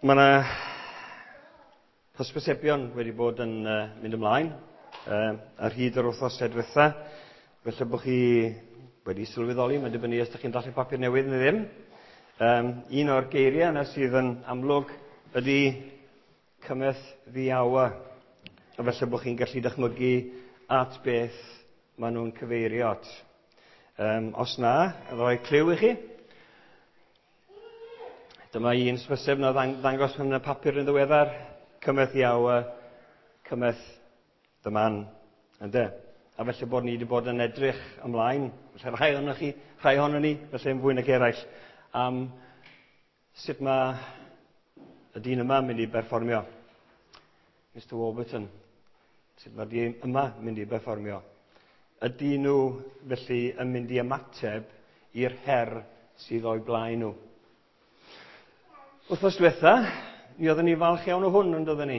Mae yna hysbysebion wedi bod yn mynd ymlaen ar hyd yr wythnos diwetha. Felly bod chi wedi sylweddoli, mae'n dibynnu os ydych chi'n darllen papur newydd neu ddim. Un o'r geiriau yna sydd yn amlwg ydy "Cometh the hour". A felly bod chi'n gallu dychmygu at beth maen nhw'n cyfeirio at. Os na, rhoi cliw i chi. Dyma un hysbyseb na ddangos yn y papur yn ddiweddar. "Cometh the hour, cometh the man." Ynde? A felly bod ni wedi bod yn edrych ymlaen, felly rhai ohonoch chi, rhai ohonon ni, felly yn fwy nag eraill, am sut mae y dyn yma yn mynd i berfformio. Mr Warburton. Sut mae'r dyn yma yn mynd i berfformio. Ydy nhw felly yn mynd i ymateb i'r her sydd o'u blaen nhw? Wythnos diwetha, mi oeddwn ni falch iawn o hwn, yn doedden ni?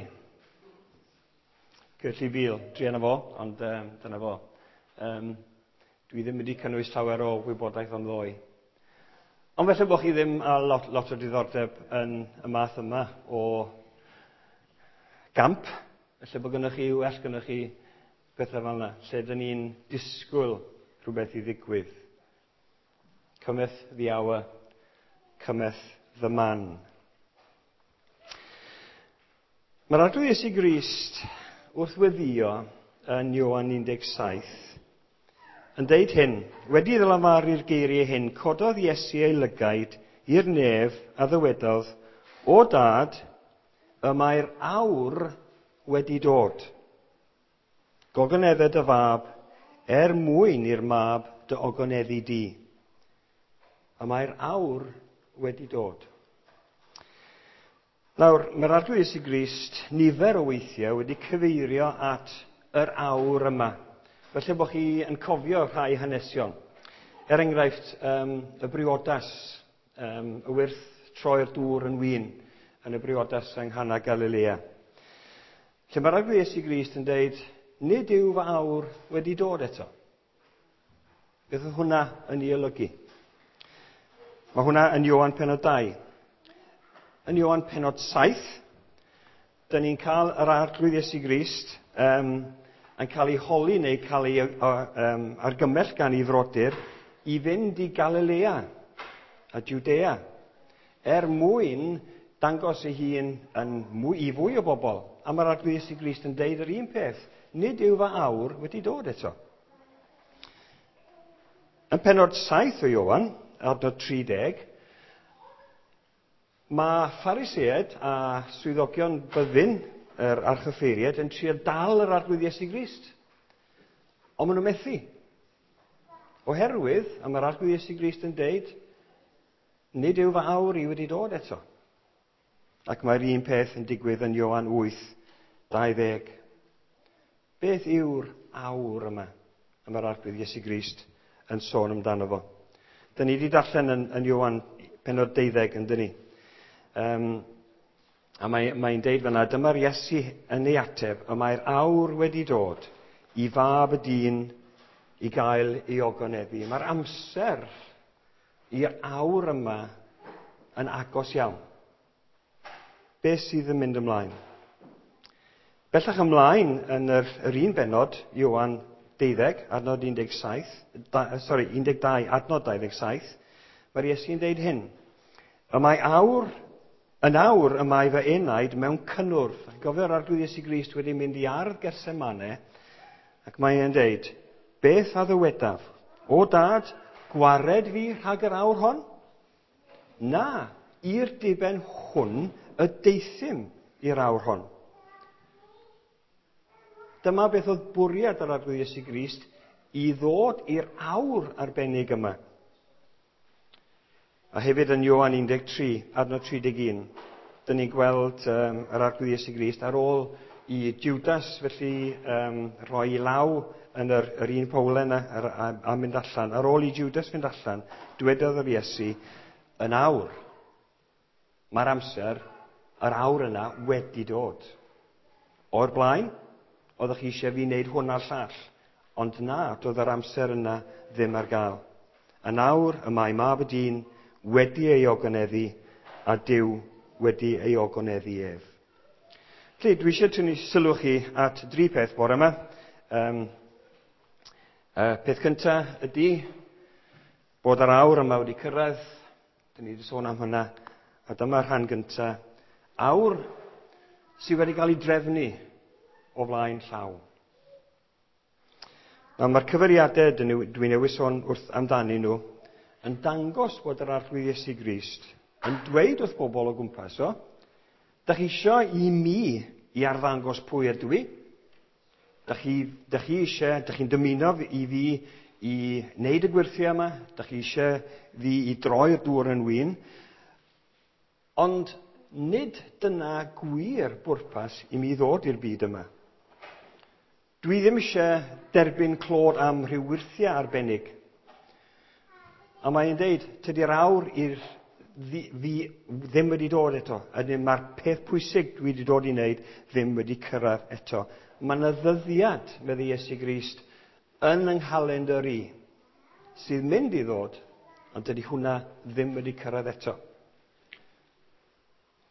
Kurtley Beale, druan o fo, ond dyna fo. Dwi ddim wedi cynnwys llawer o wybodaeth am ddoe. Ond felly bod chi ddim â lot, lot o diddordeb yn y math yma o gamp, felly bod gennych chi, well gennych chi pethau fel yna, lle dyn ni'n disgwyl rhywbeth i ddigwydd. Cometh the hour, cometh the man. Mae'r Arglwydd Iesu Grist wrth weddio yn Ioan 17 yn deud hyn: "Wedi iddo lefaru'r geiriau hyn, cododd Iesu ei lygaid i'r nef a ddywedodd, 'O Dad, y mae'r awr wedi dod. Gogonedda dy fab, er mwyn i'r mab dy ogoneddu di.'" Y mae'r awr wedi dod. Nawr, mae'r Arglwydd Iesu Grist nifer o weithiau wedi cyfeirio at yr awr yma. Felly bod chi yn cofio rhai hanesion. Er enghraifft, y briodas, y wyrth troi'r dŵr yn win yn y briodas yng Nghana Galilea. Lle mae'r Arglwydd Iesu Grist yn deud, "Nid yw fy awr wedi dod eto." Beth oedd hwnna yn ei olygu? Mae hwnna yn Ioan penod 2. Yn Ioan penod 7, dyn ni'n cael yr Arglwydd Iesu Grist yn cael ei holi neu cael ei argymell gan ei frodyr i fynd i Galilea a Judea er mwyn dangos ei hun yn mwy, i fwy o bobl. A mae'r Arglwydd Iesu Grist yn deud yr un peth: "Nid yw fy awr wedi dod eto." Yn penod 7 o Ioan, adnod 30, mae Phariseaid a swyddogion byddin yr archoffeiriaid yn trio dal yr Arglwydd Iesu Grist. Ond maen nhw'n methu. Oherwydd, a mae'r Arglwydd Iesu Grist yn deud, "Nid yw fy awr i wedi dod eto." Ac mae'r un peth yn digwydd yn Ioan 8, 20. Beth yw'r awr yma y mae'r Arglwydd Iesu Grist yn sôn amdano fo? Dyn ni wedi darllen yn Ioan penod 12, yn dyn ni? A mae'n mae deud fyna, dyma'r Iesu yn ei ateb, "Y mae'r awr wedi dod i Fab y Dyn i gael ei ogoneddu." Mae'r amser i'r awr yma yn agos iawn. Beth sydd yn mynd ymlaen? Bellach ymlaen yn yr un benod, Ioan 12, adnod 17, sorry, 12, adnod 27, mae'r Iesu'n deud hyn: "Y mae awr, yn awr y mae fy enaid mewn cynnwrf." Gofio'r Arglwydd Iesu Grist wedi mynd i ardd Getsemane, ac mae e'n deud, "Beth a ddywedaf? O Dad, gwared fi rhag yr awr hon? Na, i'r diben hwn y deuthum i'r awr hon." Dyma beth oedd bwriad yr Arglwydd Iesu Grist i ddod i'r awr arbennig yma. A hefyd yn Ioan 13, adnod 31, dyn ni'n gweld yr Arglwydd Iesu Grist ar ôl i Judas felly rhoi ei law yn yr un powlen yna a mynd allan. Ar ôl i Judas fynd allan, dwedodd yr Iesu, "Yn awr, mae'r amser, yr awr yna wedi dod. O'r blaen, oeddech chi eisiau fi wneud hwn a'r llall, ond na, doedd yr amser yna ddim ar gael. Yn awr y mae Mab y Dyn wedi ei ogoneddu a Duw wedi ei ogoneddu ef. Felly, dwi eisiau tynnu sylw chi at dri peth bore yma. Peth cyntaf ydy bod yr awr yma wedi cyrraedd. Dyn ni wedi sôn am hynna. A dyma'r rhan gyntaf. Awr sydd wedi cael ei drefnu o flaen llaw. Nawr, mae'r cyfeiriadau dwi newydd sôn wrth amdanyn nhw yn dangos bod yr Arglwydd Iesu Grist yn dweud wrth bobl o gwmpas o, da chi isio i mi i arddangos pwy ydw i? Da chi eisiau, da chi'n dymuno i fi i wneud y gwyrthiau yma? Da chi eisiau fi i droi'r dŵr yn win? Ond nid dyna gwir bwrpas i mi ddod i'r byd yma. Dwi ddim eisiau derbyn clod am rhyw wyrthiau arbennig. A mae'n deud, tydi'r awr i'r fi ddim wedi dod eto. A mae'r peth pwysig dwi wedi dod i wneud ddim wedi cyrraedd eto. Mae yna ddyddiad, medde Iesu Grist, yn yng nghalendr i, sydd mynd i ddod, ond dydy hwnna ddim wedi cyrraedd eto.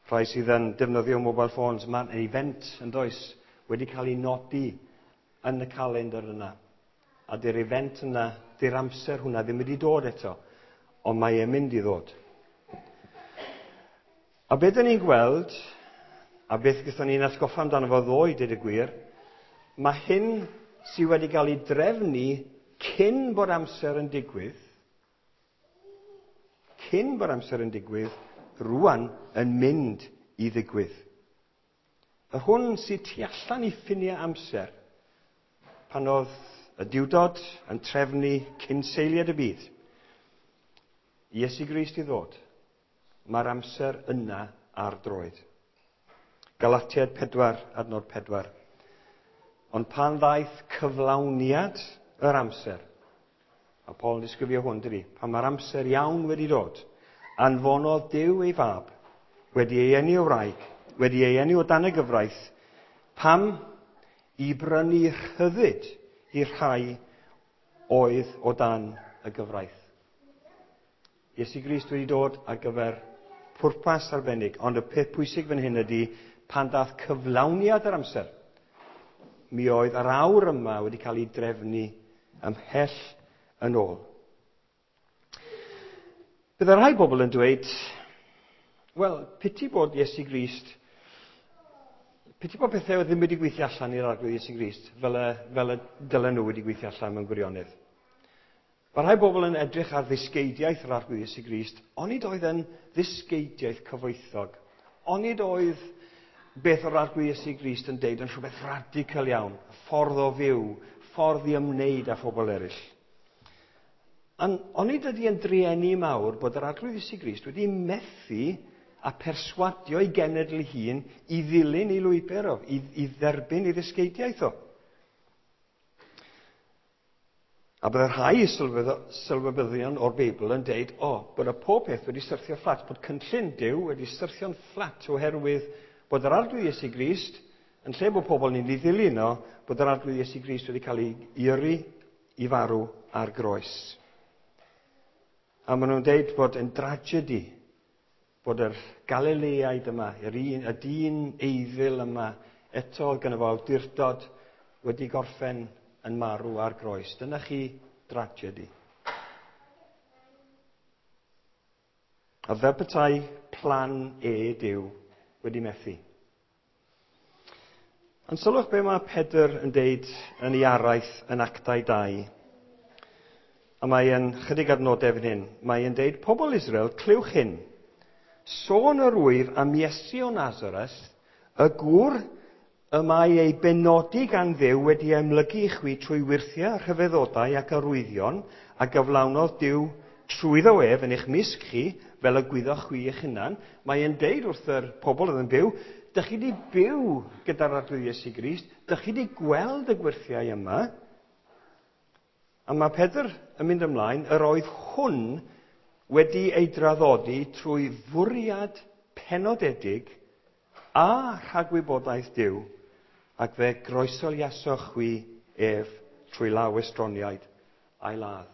Rhai sydd yn defnyddio mobile phones, mae'n event yn does, wedi cael ei nodi yn y calendr yna. A dy'r event yna, dy'r amser hwnna ddim wedi dod eto, ond mae e'n mynd i ddod. A beth dyn ni'n gweld, a beth gyda ni'n atgoffa amdano fo ddoe, dweud y gwir, mae hyn sydd wedi cael ei drefnu cyn bod amser yn digwydd, cyn bod amser yn digwydd, rwan yn mynd i ddigwydd. Yr hwn sydd tu allan i ffiniau amser, pan oedd y Duwdod yn trefnu cyn seiliad y byd, Iesu Grist i ddod, mae'r amser yna ar droed. Galatiaid 4, adnod 4. Ond pan ddaeth cyflawniad yr amser, a Paul yn disgrifio hwn, dydy, pan mae'r amser iawn wedi dod, anfonodd Duw ei fab, wedi ei eni o wraig, wedi ei eni o dan y gyfraith, pam i brynu rhyddid i'r rhai oedd o dan y gyfraith. Iesu Grist wedi dod ar gyfer pwrpas arbennig, ond y peth pwysig fan hyn ydy pan dath cyflawniad yr amser, mi oedd yr awr yma wedi cael ei drefnu ymhell yn ôl. Byddai rhai bobl yn dweud, wel, piti bod Iesu Grist, piti bod pethau ddim wedi gweithio allan i'r Arglwydd Iesu Grist fel y dylen nhw wedi gweithio allan mewn gwirionedd. Mae rhai bobl yn edrych ar ddysgeidiaeth yr Arglwydd Iesu Grist, onid oedd yn ddysgeidiaeth cyfoethog, onid oedd beth o'r Arglwydd Iesu Grist yn deud yn rhywbeth radical iawn, ffordd o fyw, ffordd i ymwneud â phobl eraill. Onid ydy yn drueni mawr bod yr Arglwydd Iesu Grist wedi methu a perswadio ei genedl ei hun i ddilyn ei lwybr o, i dderbyn ei ddysgeidiaeth o. A byddai rhai sylwebyddion o'r Beibl yn deud, bod y pob peth wedi syrthio fflat, bod cynllun Duw wedi syrthio'n fflat oherwydd bod yr Arglwydd Iesu Grist, yn lle bod pobl ni'n ei ddilyn o, bod yr Arglwydd Iesu Grist wedi cael ei yrru i farw ar groes. A maen nhw'n deud bod yn dragedy bod yr Galileaid yma, y dyn eiddil yma, eto oedd gynno fo awdurdod wedi gorffen yn marw ar groes. Dyna chi dragedy. A fel petai plan E Duw wedi methu. Ond sylwch be mae Pedr yn deud yn ei araith yn Actau 2. A mae e'n chydig adnodau fan hyn. Mae e'n deud, pobl Israel, clywch hyn. Sôn yr wyf am Iesu o Nazareth, y gŵr y mae ei benodi gan Dduw wedi amlygu i chwi trwy wyrthiau, rhyfeddodau ac arwyddion a gyflawnodd Duw trwyddo ef yn eich mysg chi, fel y gwyddoch chwi eich hunan. Mae e'n deud wrth yr pobl oedd yn byw, dych chi wedi byw gyda'r Arglwydd Iesu Grist, dych chi wedi gweld y gwyrthiau yma. A mae Pedr yn mynd ymlaen, yr oedd hwn wedi ei draddodi trwy fwriad penodedig a rhagwybodaeth Duw, ac fe groesoliasoch chwi ef trwy law estroniaid a'i ladd.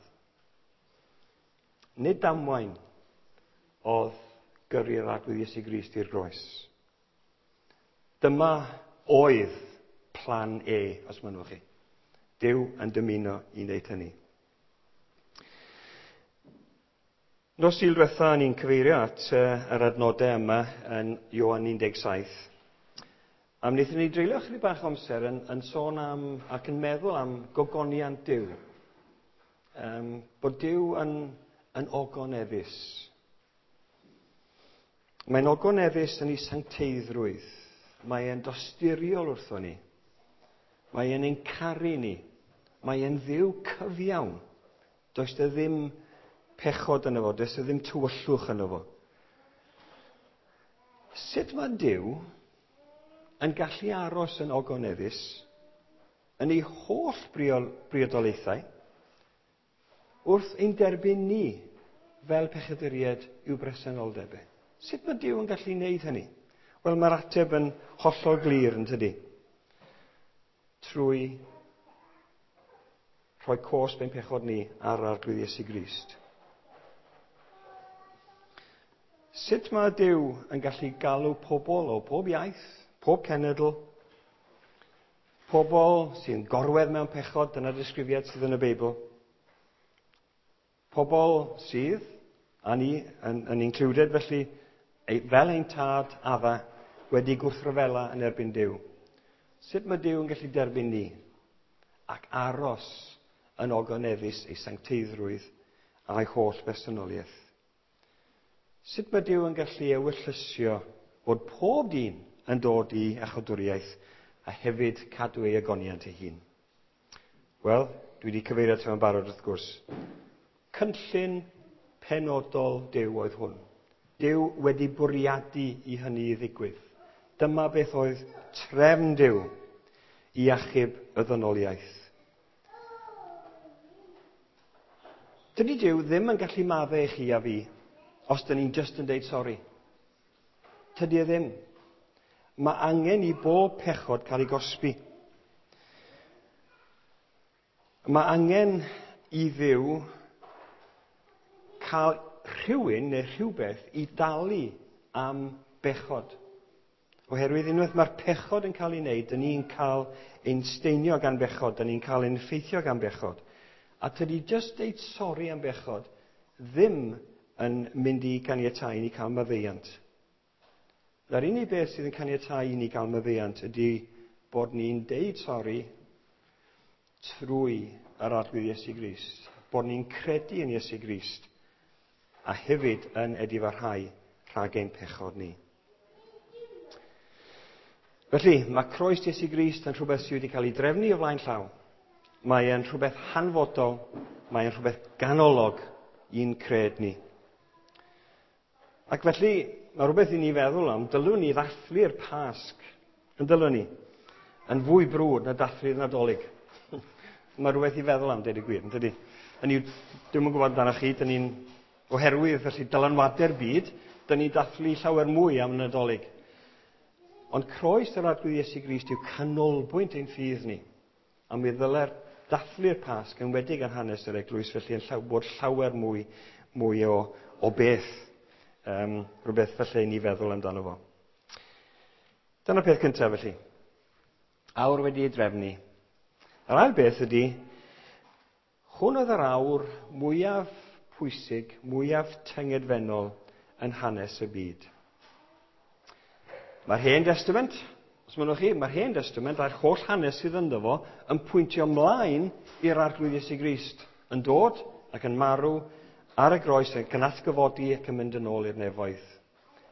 Nid damwain oedd gyrru'r Arglwydd Iesu Grist i'r groes. Dyma oedd plan E, os mynnwch chi. Duw yn dymuno i wneud hynny. Nos Sul diwetha, ni'n cyfeirio at yr adnodau yma yn Ioan 17. A wnaethon ni dreulio chydig bach o amser yn sôn am ac yn meddwl am gogoniant Duw. Bod Duw yn ogoneddus. Mae'n ogoneddus yn ei sancteiddrwydd. Mae e'n dosturiol wrtho ni. Mae e'n ein caru ni. Mae e'n Dduw cyfiawn. Does e ddim pechod yno fo, does e ddim tywyllwch yno fo. Sut mae Duw yn gallu aros yn ogoneddus yn ei holl briodolaethau wrth ein derbyn ni fel pechaduriaid i'w bresenoldeb e? Sut mae Duw yn gallu wneud hynny? Wel, mae'r ateb yn hollol glir, yn tydi? Trwy rhoi cosb ein pechod ni ar Arglwydd Iesu Grist. Sut mae Duw yn gallu galw pobl o pob iaith, pob cenedl, pobl sy'n gorwedd mewn pechod, dyna'r disgrifiad sydd yn y Beibl, pobl sydd, a ni yn included felly, fel ein tad Adda, wedi gwrthryfela yn erbyn Duw. Sut mae Duw yn gallu derbyn ni ac aros yn ogoneddus ei sancteiddrwydd a'i holl bersonoliaeth? Sut mae Duw yn gallu ewyllysio bod pob dyn yn dod i iachawdwriaeth a hefyd cadw ei ogoniant ei hun? Wel, dwi wedi cyfeirio ato fo'n barod wrth gwrs. Cynllun penodol Duw oedd hwn. Duw wedi bwriadu i hynny i ddigwydd. Dyma beth oedd trefn Duw i achub y ddynoliaeth. Dydy Duw ddim yn gallu maddau i chi a fi os dyn ni'n just yn deud sori. Tydi e ddim. Mae angen i bob pechod cael ei gosbi. Mae angen i Dduw cael rhywun neu rhywbeth i dalu am bechod. Oherwydd unwaith mae'r pechod yn cael ei wneud, dyn ni'n cael ein steinio gan bechod, dyn ni'n cael ein effeithio gan bechod. A tydi just deud sori am bechod ddim yn mynd i caniatáu i ni cael maddeuant. Na'r unig beth sydd yn caniatáu i ni gael maddeuant ydy bod ni'n deud sori trwy yr Arglwydd Iesu Grist, bod ni'n credu yn Iesu Grist a hefyd yn edifarhau rhag ein pechod ni. Felly, mae croes Iesu Grist yn rhywbeth sydd wedi cael ei drefnu o flaen llaw. Mae e'n rhywbeth hanfodol, mae e'n rhywbeth ganolog i'n cred ni. Ac felly, mae rhywbeth i ni feddwl am, dylwn ni ddathlu'r Pasg, yn dylwn ni, yn fwy brwd na dathlu'r Nadolig. Mae rhywbeth i feddwl am, deud y gwir, yn dydi? Hynny yw, dwi'm yn gwybod amdanoch chi, dyn ni'n, oherwydd felly dylanwadau'r byd, dyn ni'n dathlu llawer mwy am Nadolig. Ond croes yr Arglwydd Iesu Grist yw canolbwynt ein ffydd ni. A mi ddyle'r dathlu'r Pasg yn wedig ar hanes yr eglwys, felly yn bod llawer mwy o beth. Rhywbeth felly i ni feddwl amdano fo. Dyna'r peth cyntaf felly. Awr wedi ei drefnu. Yr ail beth ydy, hwn oedd yr awr mwyaf pwysig, mwyaf tyngedfennol yn hanes y byd. Mae'r Hen Testament, os mynnwch chi, mae'r Hen Testament a'r holl hanes sydd ynddo fo yn pwyntio ymlaen i'r Arglwydd Iesu Grist, yn dod ac yn marw ar y groes ac yn atgyfodi ac yn mynd yn ôl i'r nefoedd.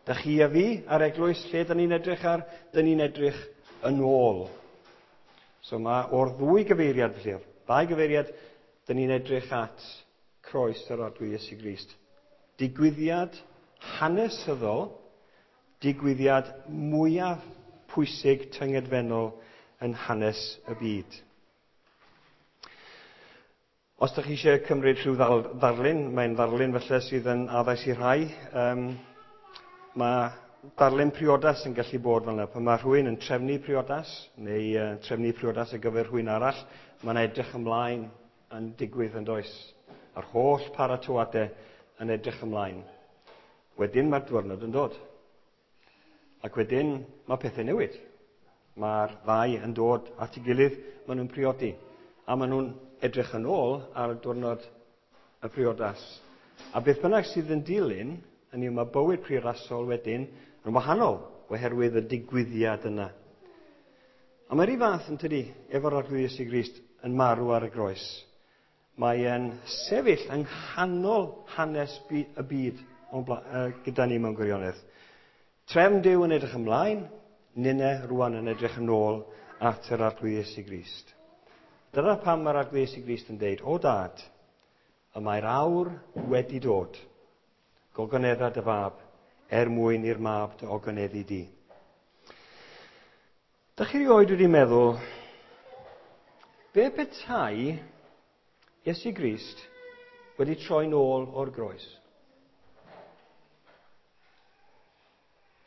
Da chi a fi a'r eglwys, lle da ni'n edrych ar? Da ni'n edrych yn ôl. So mae o'r ddwy gyfeiriad, felly, o'r ddau gyfeiriad, da ni'n edrych at croes yr Arglwydd Iesu Grist. Digwyddiad hanesyddol, digwyddiad mwyaf pwysig tyngedfennol yn hanes y byd. Os ydych chi eisiau cymryd rhyw ddarlun, mae'n ddarlun felly sydd yn addas i rhai. Mae darlun priodas yn gallu bod fel yna. Pan mae rhywun yn trefnu priodas, neu trefnu priodas ar gyfer rhywun arall, mae'n edrych ymlaen yn digwydd yn does. A'r holl paratoadau yn edrych ymlaen. Wedyn mae'r diwrnod yn dod. Ac wedyn mae pethau newid. Mae'r ddau yn dod at ei gilydd, maen nhw'n priodi. A maen nhw'n edrych yn ôl ar y diwrnod y priodas. A beth bynnag sydd yn dilyn, hynny yw mae bywyd priodasol wedyn yn wahanol oherwydd y digwyddiad yna. A mae'r un fath yn tydi, efo'r Arglwydd Iesu Grist yn marw ar y groes. Mae e'n sefyll yng nghanol hanes y byd gyda ni mewn gwirionedd. Trefn Duw yn edrych ymlaen, ninne rwan yn edrych yn ôl at yr Arglwydd Iesu Grist. Dyna pam mae'r Arglwydd Iesu Grist yn deud, o dad, y mae'r awr wedi dod. Gogonedda dy fab, er mwyn i'r mab dy ogoneddu di. Dych chi rioed wedi meddwl, be petai Iesu Grist wedi troi nôl o'r groes?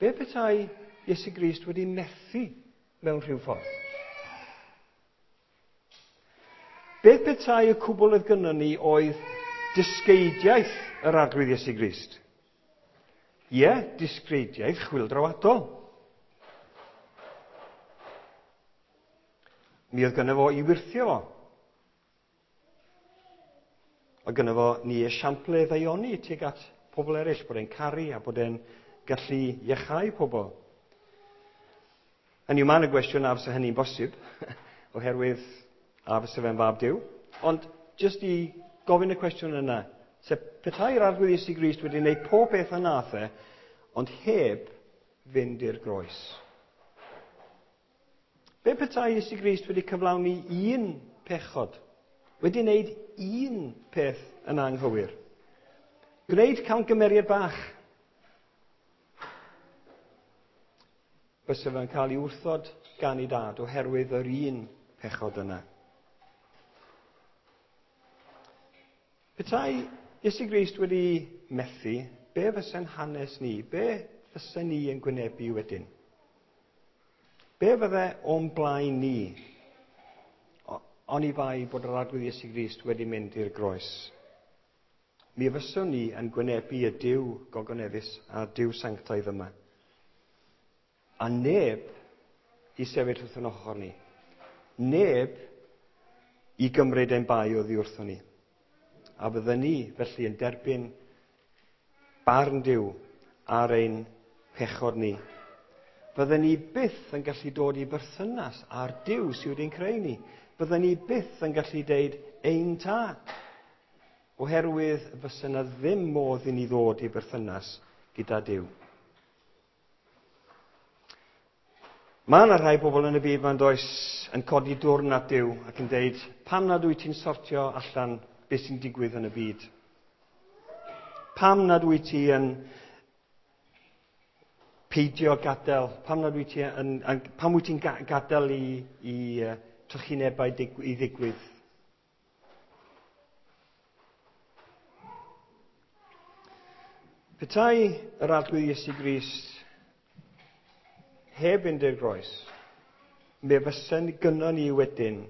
Be petai Iesu Grist wedi methu mewn rhyw ffordd? Beth petai y cwbl oedd gynnon ni oedd dysgeidiaeth yr Arglwydd Iesu Grist? Ie, disgreidiaeth chwyldroadol. Mi oedd gynno fo i wyrthio fo. Oedd gynno fo ni esiample ddaioni tuag at pobl eraill, bod e'n caru a bod e'n gallu iachau pobl. Hynny yw, mae yna gwestiwn a fysa hynny'n bosib, oherwydd a fysa fe'n fab Duw. Ond jyst i gofyn y cwestiwn yna, sef petai'r Arglwydd Iesu Grist wedi gwneud pob peth a nath e, ond heb fynd i'r groes. Be petai Iesu Grist wedi cyflawni un pechod, wedi wneud un peth yn anghywir? Gwneud camgymeriad bach. Bysa fe'n cael ei wrthod gan ei dad oherwydd yr un pechod yna. Petai Iesu Grist wedi methu, be fysa'n hanes ni? Be fysa ni yn gwynebu wedyn? Be fydde o'n blaen ni? Oni bai bod yr Arglwydd Iesu Grist wedi mynd i'r groes. Mi fyswn ni yn gwynebu y Duw gogoneddus a'r Duw sanctaidd yma. A neb i sefyll wrth yn ochr ni. Neb i gymryd ein bai oddi wrthon ni. A fydden ni felly yn derbyn barn Duw ar ein pechod ni. Fydden ni byth yn gallu dod i berthynas â'r Duw sydd wedi'n creu ni. Fydden ni byth yn gallu deud ein tad. Oherwydd fysa yna ddim modd i ni ddod i berthynas gyda Duw. Mae yna rhai bobl yn y byd ma'n does yn codi dwrn at Duw ac yn deud, pam nad wyt ti'n sortio allan beth sy'n digwydd yn y byd? Pam nad wyt ti yn peidio gadael, pam nad wyt ti yn, yn, pam wyt ti'n gadael i, i trychinebau i ddigwydd? Petai yr Arglwydd Iesu Grist heb fynd i'r groes, mi fysen gynnon ni wedyn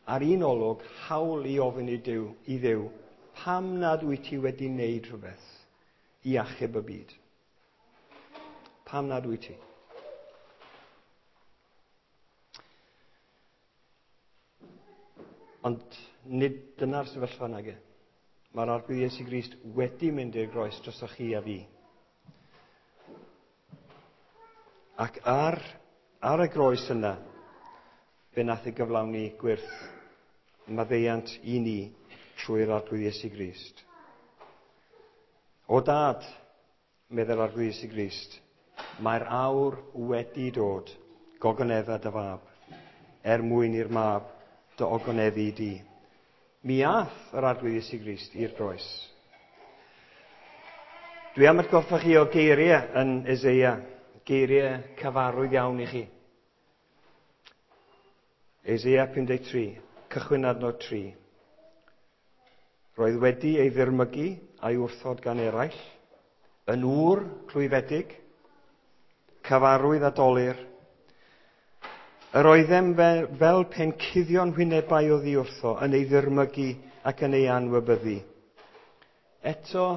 ar un olwg hawl i ofyn i Duw, i Dduw, pam nad wyt ti wedi wneud rhywbeth i achub y byd? Pam nad wyt ti? Ond nid dyna'r sefyllfa nage. Mae'r Arglwydd Iesu Grist wedi mynd i'r groes drosoch chi a fi. Ac ar, ar y groes yna, fe nath ei gyflawni gwyrth maddeuant i ni trwy'r Arglwydd Iesu Grist. O dad, meddai'r Arglwydd Iesu Grist, mae'r awr wedi dod, gogonedda dy fab, er mwyn i'r mab dy ogoneddu di. Mi ath yr Arglwydd Iesu Grist i'r groes. Dwi am atgoffa chi o geiriau yn Eseia, geiriau cyfarwydd iawn i chi. Eseia 53, cychwyn adnod 3. Roedd wedi ei ddirmygu a'i wrthod gan eraill, yn ŵr clwyfedig, cyfarwydd a dolur. Yr oeddem fel, fel pen cuddio'n hwynebau oddi wrtho, yn ei ddirmygu ac yn ei anwybyddu. Eto,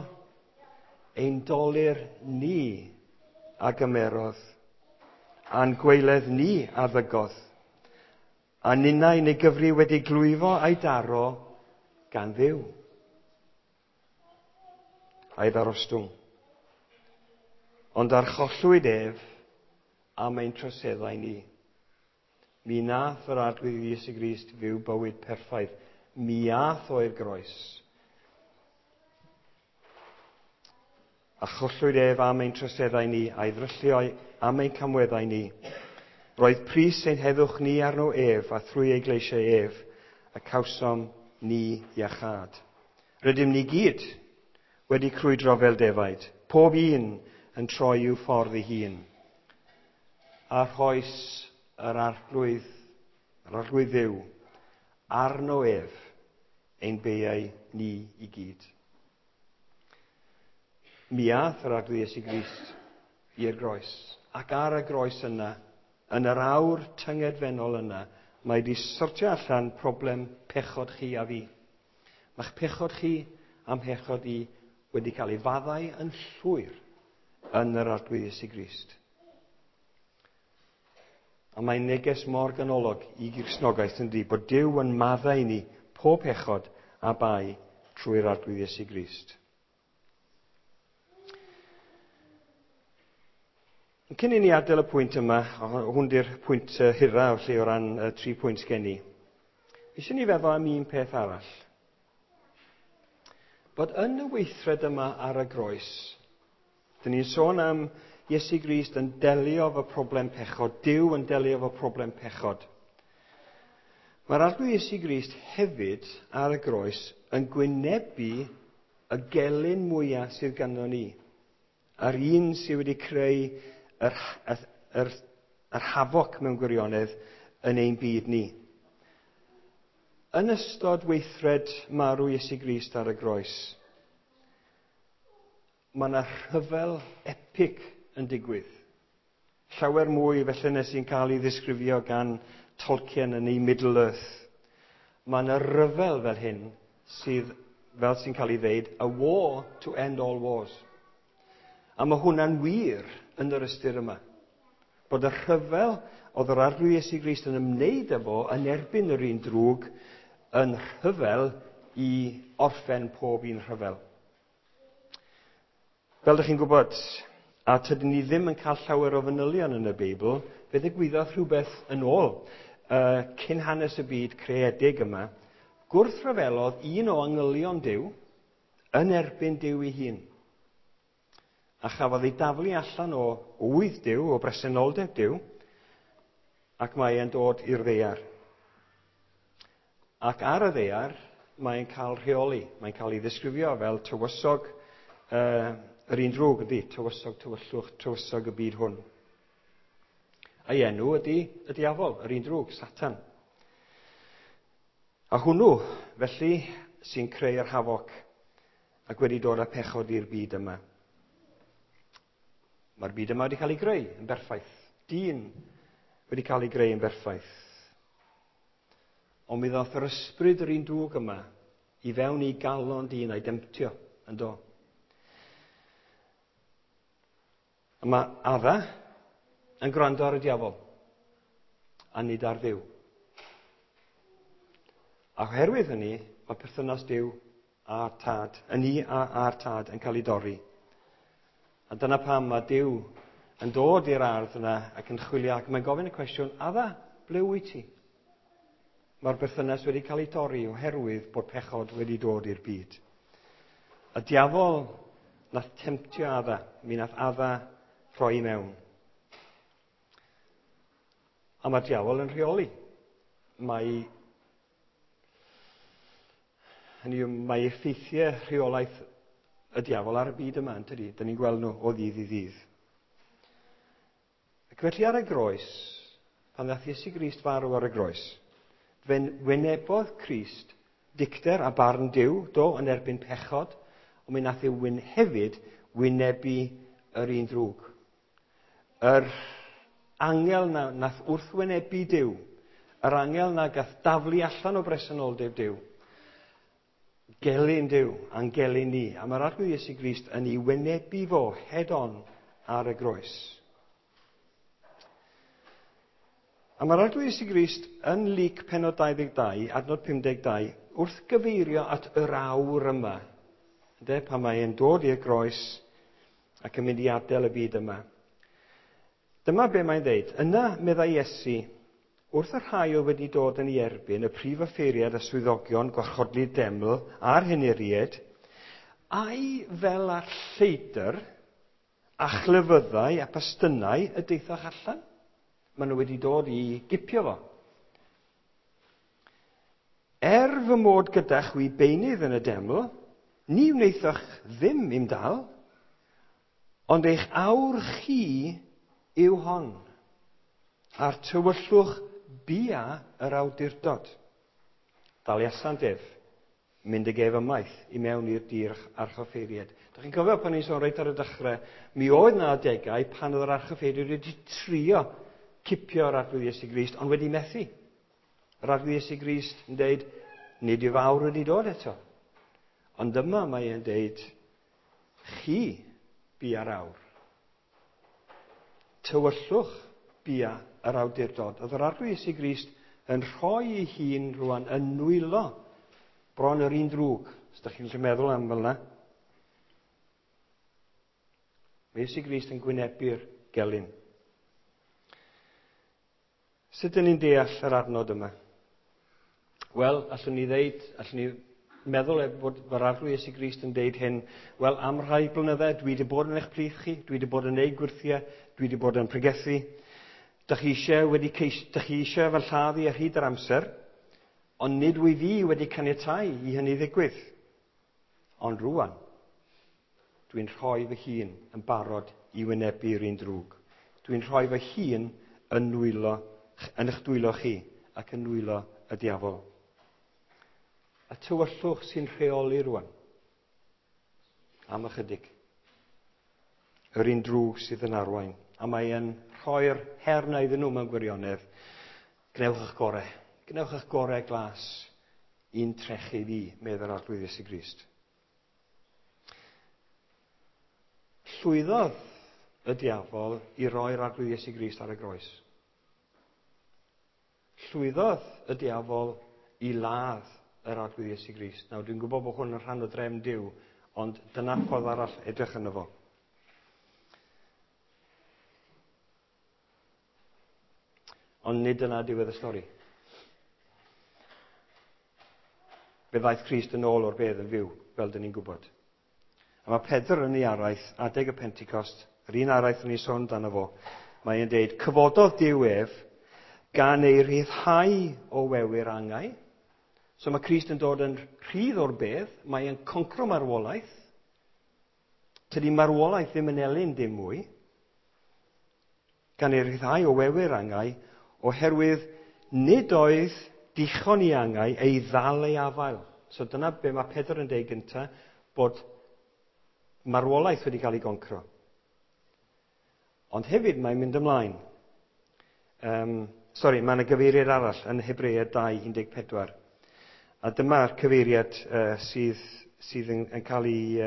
Ein dolur ni a gymerodd, a'n gwaeledd ni a ddygodd, a ninnau neu gyfri wedi glwyfo a'i daro gan Dduw. A'i ddarostwng. Ond archollwyd ef am ein troseddau ni. Mi nath yr Arglwydd Iesu Grist fyw bywyd perffaith. Mi ath o i'r groes. A chollwyd ef am ein troseddau ni, a'i ddryllio am ein camweddau ni. Roedd pris ein heddwch ni arno ef, a thrwy ei gleisiau ef, y cawsom ni iachâd. Rydym ni gyd wedi crwydro fel defaid, pob un yn troi i'w ffordd ei hun. A rhoes yr Arglwydd, yr Arglwydd Dduw, arno ef ein beiau ni i gyd. Mi ath yr Arglwydd Iesu Grist i'r groes. Ac ar y groes yna, yn yr awr tyngedfennol yna, mae wedi sortio allan problem pechod chi a fi. Mae'ch pechod chi a'm mhechod i wedi cael ei faddau yn llwyr yn yr Arglwydd Iesu Grist. A mae'n neges mor ganolog i Gristnogaeth yndi, bod Duw yn maddau ni pob pechod a bai trwy'r Arglwydd Iesu Grist. Cyn i ni adael y pwynt yma, hwn di'r pwynt hira felly o ran y 3 pwynt gen i, eisiau ni feddwl am un peth arall. Bod yn y weithred yma ar y groes, dyn ni'n sôn am Iesu Grist yn delio efo problem pechod, Duw yn delio efo problem pechod. Mae'r Arglwydd Iesu Grist hefyd ar y groes yn gwynebu y gelyn mwyaf sydd ganddo ni. A'r un sydd wedi creu yr hafoc mewn gwirionedd yn ein byd ni. Yn ystod weithred marw Iesu Grist ar y groes, mae yna rhyfel epic yn digwydd. Llawer mwy felly nes i'n cael ei ddisgrifio gan Tolkien yn ei Middle Earth. Mae yna rhyfel fel hyn sydd, fel sy'n cael ei ddeud, a war to end all wars. A mae hwnna'n wir yn yr ystyr yma. Bod y rhyfel oedd yr Arglwydd Iesu Grist yn ymwneud efo yn erbyn yr un drwg yn rhyfel i orffen pob un rhyfel. Fel ydych chi'n gwybod, a tydyn ni ddim yn cael llawer o fanylion yn y Beibl, fe ddigwyddodd rhywbeth yn ôl cyn hanes y byd creedig yma. Gwrthryfelodd un o angylion Duw yn erbyn Duw ei hun. A chafodd ei daflu allan o ŵydd Duw, o bresenoldeb Duw, ac mae e'n dod i'r ddaear. Ac ar y ddaear, mae'n cael rheoli. Mae'n cael ei ddisgrifio fel tywysog yr un drwg ydy, tywysog tywyllwch, tywysog y byd hwn. A'i enw ydy y diafol, yr un drwg, Satan. A hwnnw, felly, sy'n creu'r hafoc ac wedi dod â pechod i'r byd yma. Mae'r byd yma wedi cael ei greu yn berffaith. Dyn wedi cael ei greu yn berffaith. Ond mi ddoth yr ysbryd yr un drwg yma i fewn i galon dyn a'i demtio, yn do. A mae Adda yn gwrando ar y diafol, a nid ar Dduw. A oherwydd hynny, mae perthynas Duw a'r Tad, y ni a'r Tad yn cael ei dorri. A dyna pam mae Duw yn dod i'r ardd yna ac yn chwilio, ac mae'n gofyn y cwestiwn, Adda, ble wyt ti? Mae'r berthynas wedi cael ei torri oherwydd bod pechod wedi dod i'r byd. Y diafol nath temtio Adda, mi nath Adda rhoi i mewn. A mae'r diafol yn rheoli. Mae effeithiau rheolaeth y diafol ar y byd yma, yn tydi? Dyn ni'n gweld nhw o ddydd i ddydd. Ac felly ar y groes, pan ddath Iesu Grist farw ar y groes, fe wynebodd Crist dicter a barn Duw, do, yn erbyn pechod, ond mi nath e hefyd wynebu yr un drwg. Yr angel na nath wrthwynebu Duw, yr angel na gath daflu allan o bresenoldeb Duw. Gelyn Duw, a'n gelyn ni. A mae'r Arglwydd Iesu Grist yn ei wynebu fo head on ar y groes. A mae'r Arglwydd Iesu Grist yn Luc pennod 22, adnod 52, wrth gyfeirio at yr awr yma, ynde, pan mae e'n dod i'r groes ac yn mynd i adael y byd yma. Dyma be mae'n dweud. Yna, meddai Iesu, wrth y rhai oedd wedi dod yn ei erbyn, y prif offeiriad a swyddogion gwarchodlu'r deml a'r henuriaid, ai fel â'r lleidr a chlefyddau a pastynau y daethoch allan? Maen nhw wedi dod i gipio fo. Er fy mod gyda chwi beunydd yn y deml, ni wnaethoch ddim i'm dal, ond eich awr chi yw hon, a'r tywyllwch bia yr awdurdod. Daliasant ef, mynd ag ef ymaith i mewn i'r dir archoffeiriad. Dach chi'n cofio pan ni'n sôn reit ar y dechrau, mi oedd na adegau pan oedd yr archoffeiriad wedi trio cipio'r Arglwydd Iesu Grist, ond wedi methu. Yr Arglwydd Iesu Grist yn deud, nid yw fawr wedi dod eto. Ond yma mae e'n deud, chi bia'r awr. Tywyllwch bia yr awdurdod. Oedd yr Arglwydd Iesu Grist yn rhoi ei hun rwan yn nwylo bron yr un drwg. Os ydych chi'n gallu meddwl am fel yna. Mae Iesu Grist yn gwynebu'r gelyn. Sut ydyn ni'n deall yr adnod yma? Wel, allwn ni ddeud, allwn ni meddwl bod yr Arglwydd Iesu Grist yn deud hyn, wel, am rhai blynyddau, dwi wedi bod yn eich plith chi, dwi wedi bod yn neud gwyrthiau, dwi wedi bod yn pregethu. Dych chi eisiau wedi ceis, dych chi eisiau fy lladd i ar hyd yr amser, ond nid wyf fi wedi caniatáu i hynny ddigwydd. Ond rwan, dwi'n rhoi fy hun yn barod i wynebu'r un drwg. Dwi'n rhoi fy hun yn nwylo, yn eich dwylo chi ac yn nwylo y diafol. Y tywyllwch sy'n rheoli rwan. Am ychydig. Yr un drwg sydd yn arwain. A mae e'n rhoi'r her na iddyn nhw mewn gwirionedd. Gwnewch eich gorau. Gwnewch eich gorau glas i'n trechu fi, medd yr Arglwydd Iesu Grist. Llwyddodd y diafol i roi'r Arglwydd Iesu Grist ar y groes. Llwyddodd y diafol i ladd yr Arglwydd Iesu Grist. Nawr, dwi'n gwybod bod hwn yn rhan o drefn Duw, ond dyna ffordd arall edrych yno fo. Ond nid dyna diwedd y stori. Fe ddaeth Crist yn ôl o'r bedd yn fyw, fel dyn ni'n gwybod. A mae Pedr yn ei araith, adeg y Pentecost, yr un araith yn ei sôn dan fo, mae e'n deud, cyfododd Duw ef gan ei rhyddhau o wewyr angau. So mae Crist yn dod yn rhydd o'r bedd, mae e'n concro marwolaeth. Tydi marwolaeth ddim yn elyn dim mwy. Gan ei rhyddhau o wewyr angau, oherwydd nid oedd dichon i angau ei ddal ei afael. So dyna be mae Pedr yn deud gyntaf, bod marwolaeth wedi cael ei goncro. Ond hefyd mae'n mynd ymlaen. Sori, mae yna gyfeiriad arall yn Hebreaid 2:14. A dyma'r cyfeiriad sydd, sydd yn, yn cael ei...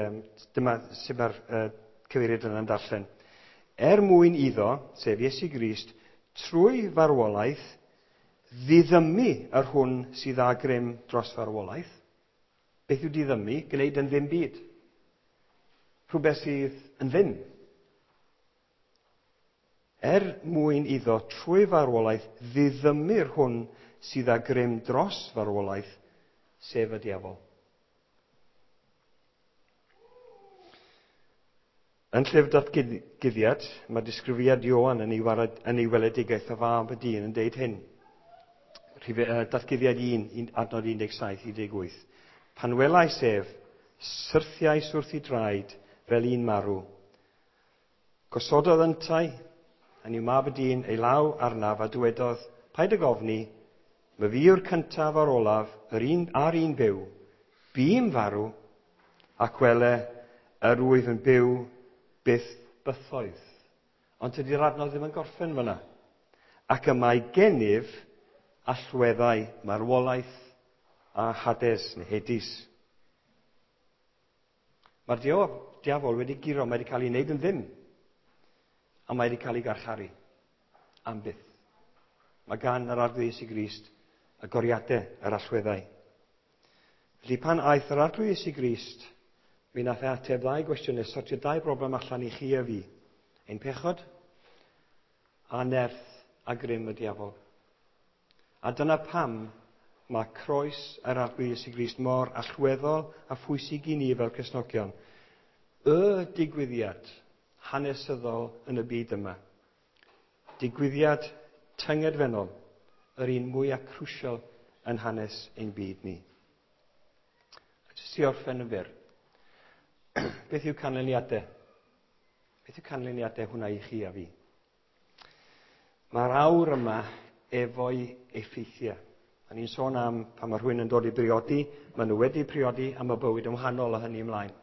dyma sydd mae'r cyfeiriad yna'n darllen. Er mwyn iddo, sef Iesu Grist, trwy farwolaeth, ddiddymu yr hwn sydd â grym dros farwolaeth. Beth yw diddymu? Gwneud yn ddim byd. Rhywbeth sydd yn ddim. Er mwyn iddo trwy farwolaeth ddiddymu'r hwn sydd â grym dros farwolaeth, sef y diafol. Yn llyfr datguddiad, mae disgrifiad Ioan yn ei, warad, yn ei weledigaeth o fab y dyn yn deud hyn. Datguddiad 1, adnod 17, 18. Pan welais ef, syrthiais wrth ei draed fel un marw. Gosododd yntau, yn yw mab y dyn, ei law arnaf a dywedodd, paid ag ofni, my fi yw'r cyntaf a'r olaf, yr un a'r un byw. Bûm farw, ac wele, yr wyf yn byw byth bythoedd. Ond tydi'r adnodd ddim yn gorffen fyna. Ac y mae gennyf allweddau marwolaeth a Hades neu Hades. Mae'r diafol wedi guro, mae wedi cael ei wneud yn ddim. A mae wedi cael ei garcharu. Am byth. Mae gan yr Arglwydd Iesu Grist y goriadau, yr allweddau. Felly pan aeth yr Arglwydd Iesu Grist, mi nath e ateb ddau gwestiwn neu sortio dau broblem allan i chi a fi. Ein pechod a nerth a grym y diafol. A dyna pam mae croes yr Arglwydd Iesu Grist mor allweddol a phwysig i ni fel Cristnogion. Y digwyddiad hanesyddol yn y byd yma. Digwyddiad tyngedfennol, yr un mwyaf crucial yn hanes ein byd ni. A jyst i orffen yn fyr, beth yw canlyniadau? Beth yw canlyniadau hwnna i chi a fi? Mae'r awr yma efo'i effeithiau. A ni'n sôn am pan mae rhywun yn dod i briodi, maen nhw wedi priodi a mae bywyd yn wahanol o hynny ymlaen.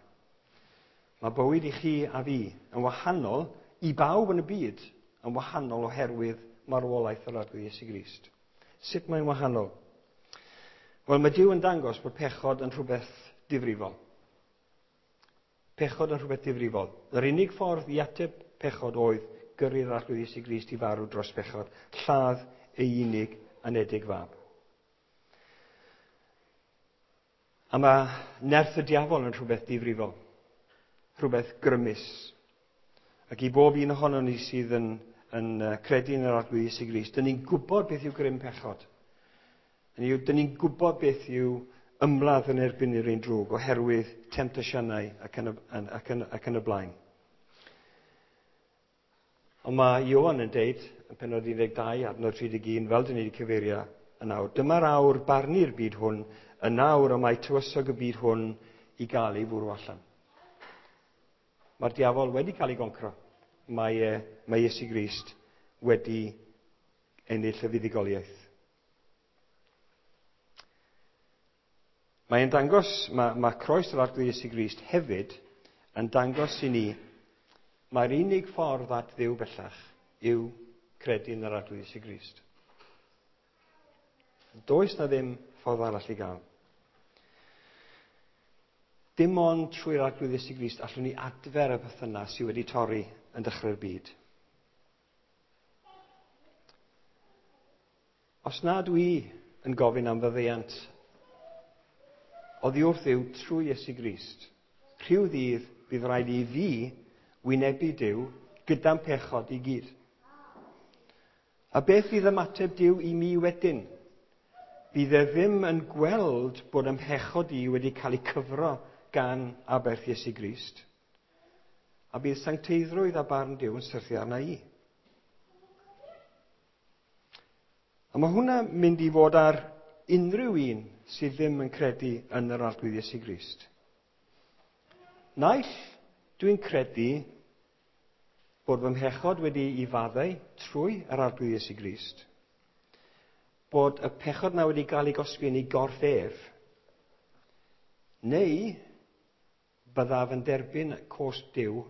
Mae bywyd i chi a fi yn wahanol i bawb yn y byd, yn wahanol oherwydd marwolaeth yr Arglwydd Iesu Grist. Sut mae'n wahanol? Wel, mae Duw yn dangos bod pechod yn rhywbeth difrifol. Pechod yn rhywbeth difrifol. Yr unig ffordd i ateb pechod oedd gyrru'r Arglwydd Iesu Grist i farw dros bechod, lladd ei unig anedig fab. A mae nerth y diafol yn rhywbeth difrifol, rhywbeth grymus. Ac i bob un ohonon ni sydd yn credu yn yr Arglwydd Iesu Grist, dyn ni'n gwybod beth yw grym pechod. Dyn ni'n gwybod beth yw ymladd yn erbyn yr un drwg oherwydd temtasiynau ac yn y blaen. Ond mae Ioan yn deud, yn pennod 12, adnod 31, fel dyn ni wedi cyfeirio yn awr, dyma'r awr barnu'r byd hwn, yn awr y mae tywysog y byd hwn i gael ei fwrw allan. Mae'r diafol wedi cael ei goncro. Mae Iesu Grist wedi ennill y fuddugoliaeth. Mae'n dangos, mae croes yr Arglwydd Iesu Grist hefyd yn dangos i ni mae'r unig ffordd at Dduw bellach yw credu yn yr Arglwydd Iesu Grist. Does na ddim ffordd arall i gael. Dim ond trwy'r Arglwydd Iesu Grist allwn ni adfer y perthynas sydd wedi torri yn dechrau'r byd. Os nad dwi yn gofyn am faddeuant oddi wrth Dduw trwy Iesu Grist, rhyw ddydd bydd rhaid i fi wynebu Duw gyda'n pechod i gyd. A beth fydd ymateb Duw i mi wedyn? Bydd e ddim yn gweld bod ym mhechod i wedi cael ei cyfro gan aberth Iesu Grist. A bydd sancteiddrwydd a barn Duw yn syrthio arna i. A mae hwnna'n mynd i fod ar unrhyw un sydd ddim yn credu yn yr Arglwydd Iesu Grist. Naill dwi'n credu bod fy mhechod wedi ei faddau trwy yr Arglwydd Iesu Grist, bod y pechod na wedi cael ei gosbi yn ei gorff ef, neu byddaf yn derbyn cosb Duw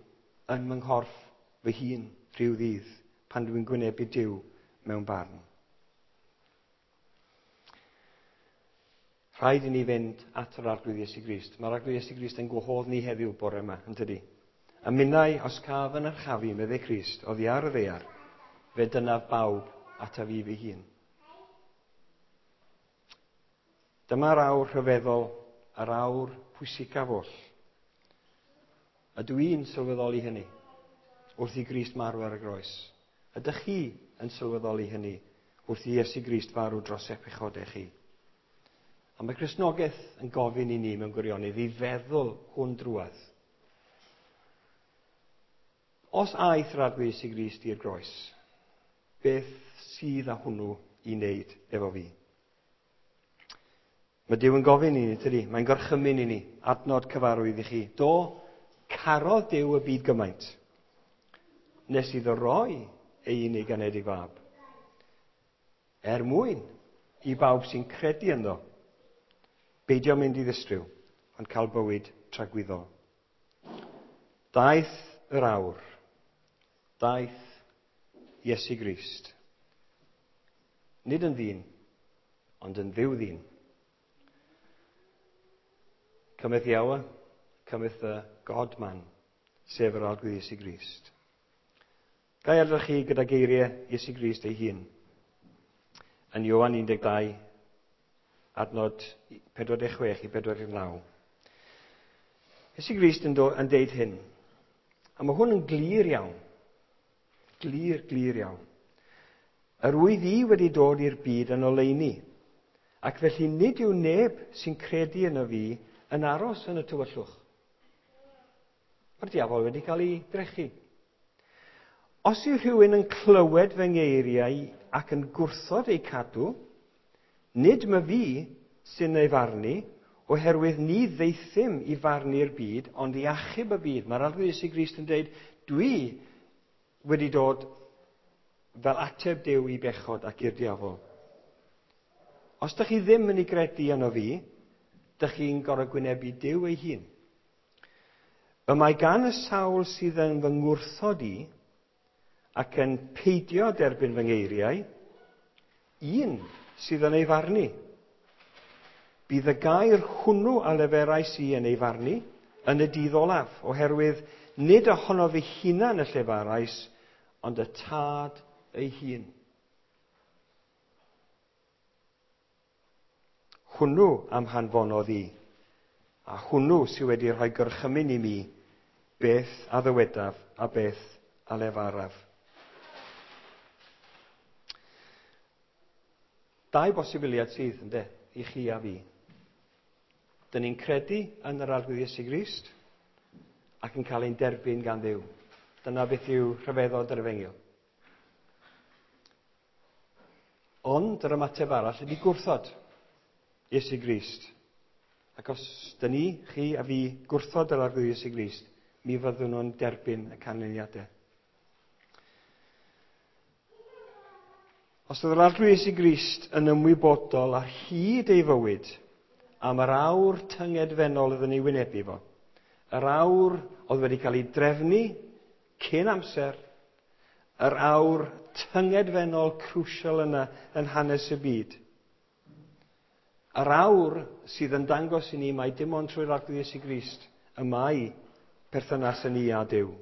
yn fy nghorff fy hun rhyw ddydd pan dwi'n gwynebu Duw mewn barn. Rhaid i ni fynd at yr Arglwydd Iesu Grist. Mae'r Arglwydd Iesu Grist yn gwahodd ni heddiw bore yma, yn tydi? A minnau, os caf yn archafu, meddai Crist, oddi ar y ddaear, fe dynaf bawb ataf fi fy hun. Dyma'r awr rhyfeddol, yr awr pwysicaf oll. A dwi'n sylweddoli hynny wrth i Grist marw ar y groes. Ydych chi yn sylweddoli hynny wrth i Iesu Grist farw dros eich pechodau chi? A mae Cristnogaeth yn gofyn i ni mewn gwirionedd i feddwl hwn drwadd. Os aeth yr Arglwydd Iesu Grist i'r groes, beth sydd â hwnnw i wneud efo fi? Mae Duw yn gofyn i ni, tydi? Mae'n gorchymyn i ni, adnod cyfarwydd i chi. Do, carodd Duw y byd gymaint, nes iddo roi ei unig anedig fab, er mwyn i bawb sy'n credu ynddo, beidio mynd i ddistryw, ond cael bywyd tragwyddol. Daeth yr awr, daeth Iesu Grist. Nid yn ddyn, ond yn Dduw ddyn. Cymeth Iawa, Cometh the God man, sef yr Arglwydd Iesu Grist. Ga i adael chi gyda geiriau Iesu Grist ei hun. Yn Ioan 12, adnod 46 i 49. Iesu Grist yn deud hyn. A mae hwn yn glir iawn. Glir, glir iawn. Yr wyf i wedi dod i'r byd yn oleuni, ac felly nid yw neb sy'n credu yno fi yn aros yn y tywyllwch. Mae'r diafol wedi cael ei drechu. Os yw rhywun yn clywed fy ngeiriau ac yn gwrthod eu cadw, nid my fi sy'n ei farnu, oherwydd ni ddeithum i farnu'r byd, ond i achub y byd. Mae'r Arglwydd Iesu Grist yn dweud, dwi wedi dod fel ateb Duw i bechod ac i'r diafol. Os dych chi ddim yn ei gredu yno fi, dych chi'n gorfod gwynebu Duw ei hun. Y mae gan y sawl sydd yn fy ngwrthod i ac yn peidio derbyn fy ngeiriau, un sydd yn ei farnu. Bydd y gair hwnnw a leferais i yn ei farnu yn y dydd olaf, oherwydd nid ohono fy hunan y llefarais, ond y Tad ei hun. Hwnnw am hanfonodd i, a hwnnw sydd wedi rhoi gorchymyn i mi beth a ddywedaf a beth a lefaraf. Dau bosibiliad sydd, ynde, i chi a fi. Dyn ni'n credu yn yr Arglwydd Iesu Grist ac yn cael ein derbyn gan Dduw. Dyna beth yw rhyfeddod yr Efengyl. Ond yr ymateb arall ydy gwrthod Iesu Grist. Ac os dyn ni, chi a fi, gwrthod yr Arglwydd Iesu Grist, mi fyddwn nhw'n derbyn y canlyniadau. Os oedd yr Arglwydd Iesu Grist yn ymwybodol ar hyd ei fywyd am yr awr tyngedfennol oedd yn ei wynebu fo, yr awr oedd wedi cael ei drefnu cyn amser, yr awr tyngedfennol crucial yna yn hanes y byd. Yr awr sydd yn dangos i ni mai dim ond trwy'r Arglwydd Iesu Grist y mae perthynas yn ni a Duw.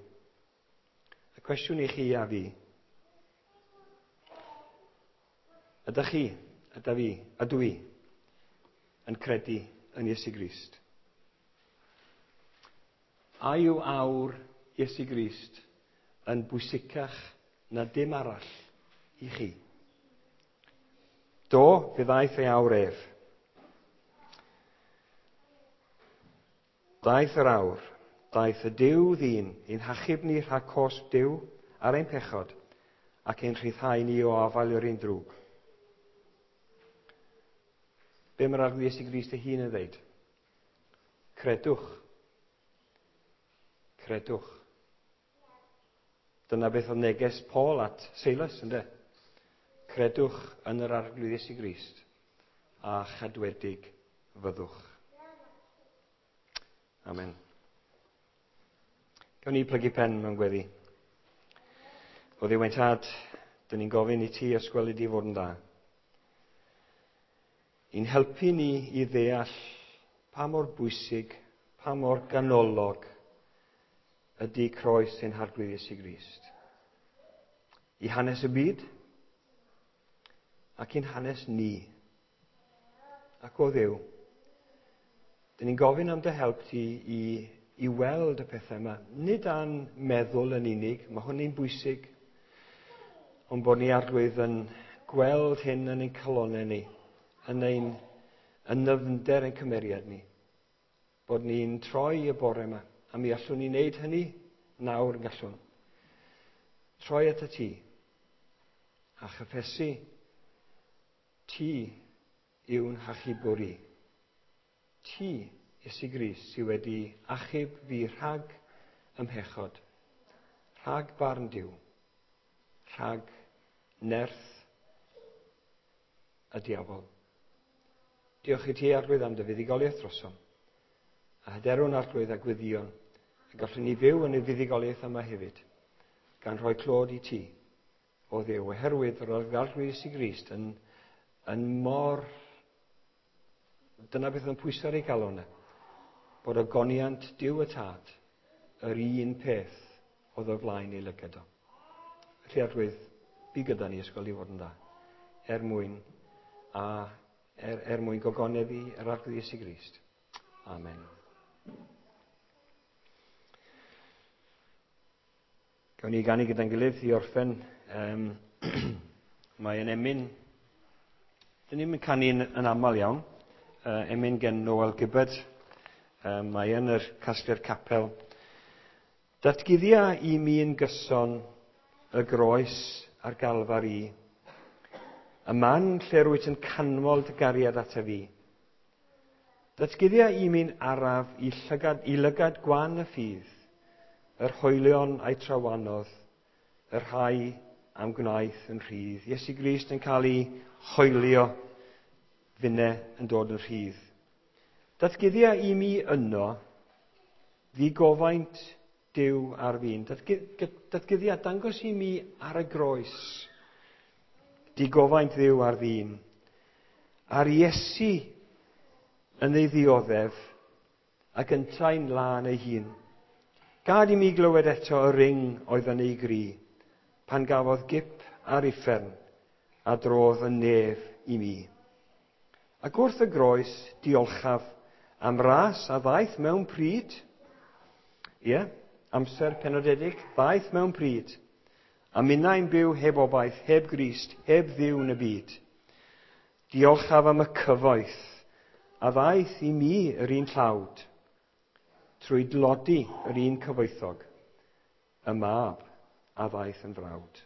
Y cwestiwn i chi a fi, ydych chi, yda fi, ydw i, yn credu yn Iesu Grist? A yw awr Iesu Grist yn bwysicach na dim arall i chi? Do, fe ddaeth ei awr ef. Daeth yr awr, daeth y Duw ddyn i'n hachub ni rhag cosb Duw ar ein pechod ac ein rhyddhau ni o afael yr un drwg. Be mae'r Arglwydd Iesu Grist ei hun yn dweud? Credwch. Credwch. Dyna beth oedd neges Paul at Silas, ynde? Credwch yn yr Arglwydd Iesu Grist a chadwedig fyddwch. Amen. Gawn ni plygu pen mewn gweddi. O Dduw ein Tad, dyn ni'n gofyn i ti os gweli di fod yn dda. I'n helpu ni i ddeall pa mor bwysig, pa mor ganolog ydy croes ein Harglwydd Iesu Grist. I hanes y byd ac i'n hanes ni. Ac o Dduw, dyn ni'n gofyn am dy help ti i weld y pethau yma. Nid a'n meddwl yn unig, mae hwnna'n bwysig, ond bod ni Arglwydd yn gweld hyn yn ein calonnau ni, yn ein yn nyfnder ein cymeriad ni. Bod ni'n troi y bore yma, a mi allwn ni wneud hynny nawr yn gallwn. Troi at y ti, a chyffesu ti yw'n hachubwr i. Ti, Iesu Grist, sydd wedi achub fi rhag ymhechod, rhag barn Duw, rhag nerth y diafol. Diolch i ti, Arglwydd, am dy fuddugoliaeth drosom, a hyderwn Arglwydd a gweddion, y gallwn ni fyw yn y fuddugoliaeth yma hefyd, gan rhoi clod i ti, o Dduw, oherwydd yr oedd Arglwydd Iesu Grist yn mor... Dyna beth yn pwyso ar ei galon e, bod ogoniant Duw y Tad yr un peth oedd o flaen ei lygad o. Felly Arglwydd, bu gyda ni ysgol i fod yn dda, er mwyn, a er, er mwyn gogoneddu yr Arglwydd Iesu Grist. Amen. Gawn ni ganu gyda'n gilydd i orffen. Um, mae yn emyn, dyn ni'n canu yn, yn aml iawn, emyn gen Noel Gibbard. Mae yn yr casgliad capel. Datguddia i mi'n gyson y groes a'r galfar i. Y man lle rwyt yn canmol dy gariad ata fi. Datguddia i mi'n araf i, llygad, i lygad gwan y ffydd, yr hoelion a'i trawanodd, y rhai am gwnaeth yn rhydd. Iesu Grist yn cael ei hoelio, finne yn dod yn rhydd. Datguddia i mi yno ddigofaint Duw ar fin. Datguddia, dangos i mi ar y groes digofaint Dduw ar ddyn. Ar Iesu yn ei ddioddef ac yntau'n lân ei hun. Gad i mi glywed eto y ring oedd yn ei gri, pan gafodd gip ar uffern a drodd yn nef i mi. Ac wrth y groes, diolchaf am ras a ddaeth mewn pryd. Ie, yeah, amser penodedig, ddaeth mewn pryd. A minnau'n byw heb obaith, heb Grist, heb Dduw yn y byd. Diolchaf am y cyfoeth a ddaeth i mi yr un tlawd, trwy dlodi yr un cyfoethog, y mab a ddaeth yn frawd.